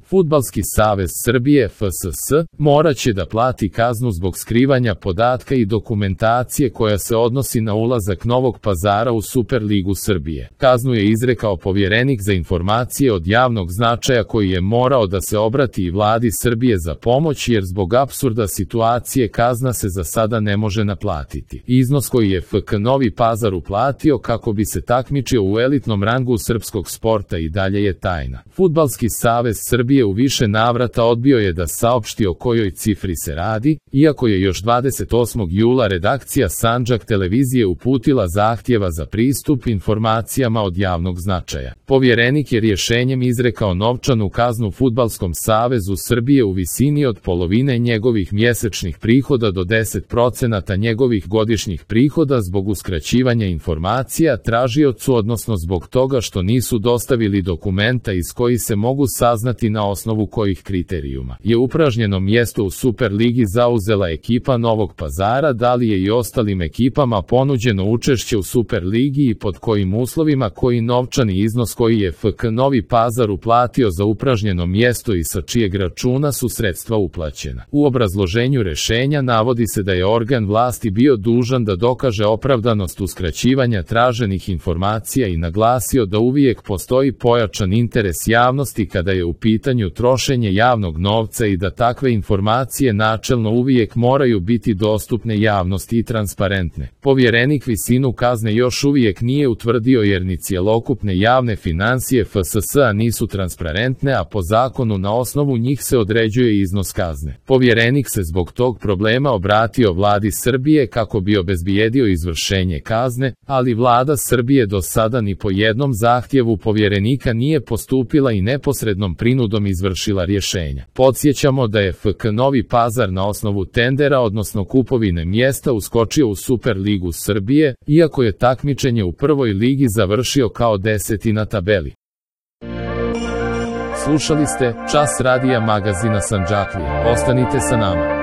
Fudbalski savez Srbije FSS moraće da plati kaznu zbog skrivanja podatka i dokumentacije koja se odnosi na ulazak Novog Pazara u Superligu Srbije. Kaznu je izrekao povjerenik za informacije od javnog značaja koji je morao da se obrati i vladi Srbije za pomoć jer zbog apsurda situacije kazna se za sada ne može naplatiti. Iznos koji je FK Novi Pazar uplatio kako bi se takmičio u elitnom rangu srpskog sporta i dalje je tajna. Fudbalski savez Srbije u više navrata odbio je da saopšti o kojoj cifri se radi, iako je još 28. jula redakcija Sandžak televizije uputila zahtjeva za pristup informacijama od javnog značaja. Povjerenik je rješenjem izrekao novčanu kaznu Fudbalskom savezu Srbije u visini od polovine njegovih mjesečnih prihoda do 10% njegovih godišnjih prihoda zbog uskraćivanja informacija tražiocu, odnosno zbog toga što nisu dostavili dokumenta iz kojih se mogu saznati na osnovu kojih kriterijuma je upražnjeno mjesto u Superligi zauzela ekipa Novog Pazara, da li je i ostalim ekipama ponuđeno učešće u Superligi i pod kojim uslovima, koji novčani iznos koji je FK Novi Pazar uplatio za upražnjeno mjesto i sa čijeg računa su sredstva uplaćena. U obrazloženju rješenja navodi se da je organ vlasti bio dužan da dokaže opravdanost uskraćivanja traženih informacija i naglasio da uvijek postoji pojačan interes javnosti kada je u pitanju trošenje javnog novca i da takve informacije načelno uvijek moraju biti dostupne javnosti i transparentne. Povjerenik visinu kazne još uvijek nije utvrdio jer ni cjelokupne javne financije FSS-a nisu transparentne, a po zakonu na osnovu njih se određuje iznos kazne. Povjerenik se zbog tog problema obratio vladi Srbije kako bi obezbijedio izvršenje kazne, ali vlada Srbije do sada ni po jednom zahtjevu povjerenika nije postupila i neposrednom prinudom izvršila rješenja. Podsjećamo da je FK Novi Pazar na osnovu tendera, odnosno kupovine mjesta, uskočio u Superligu Srbije, iako je takmičenje u prvoj ligi završio kao 10. na tabeli. Slušali ste Čas radija magazina Sandžaklija. Ostanite sa nama.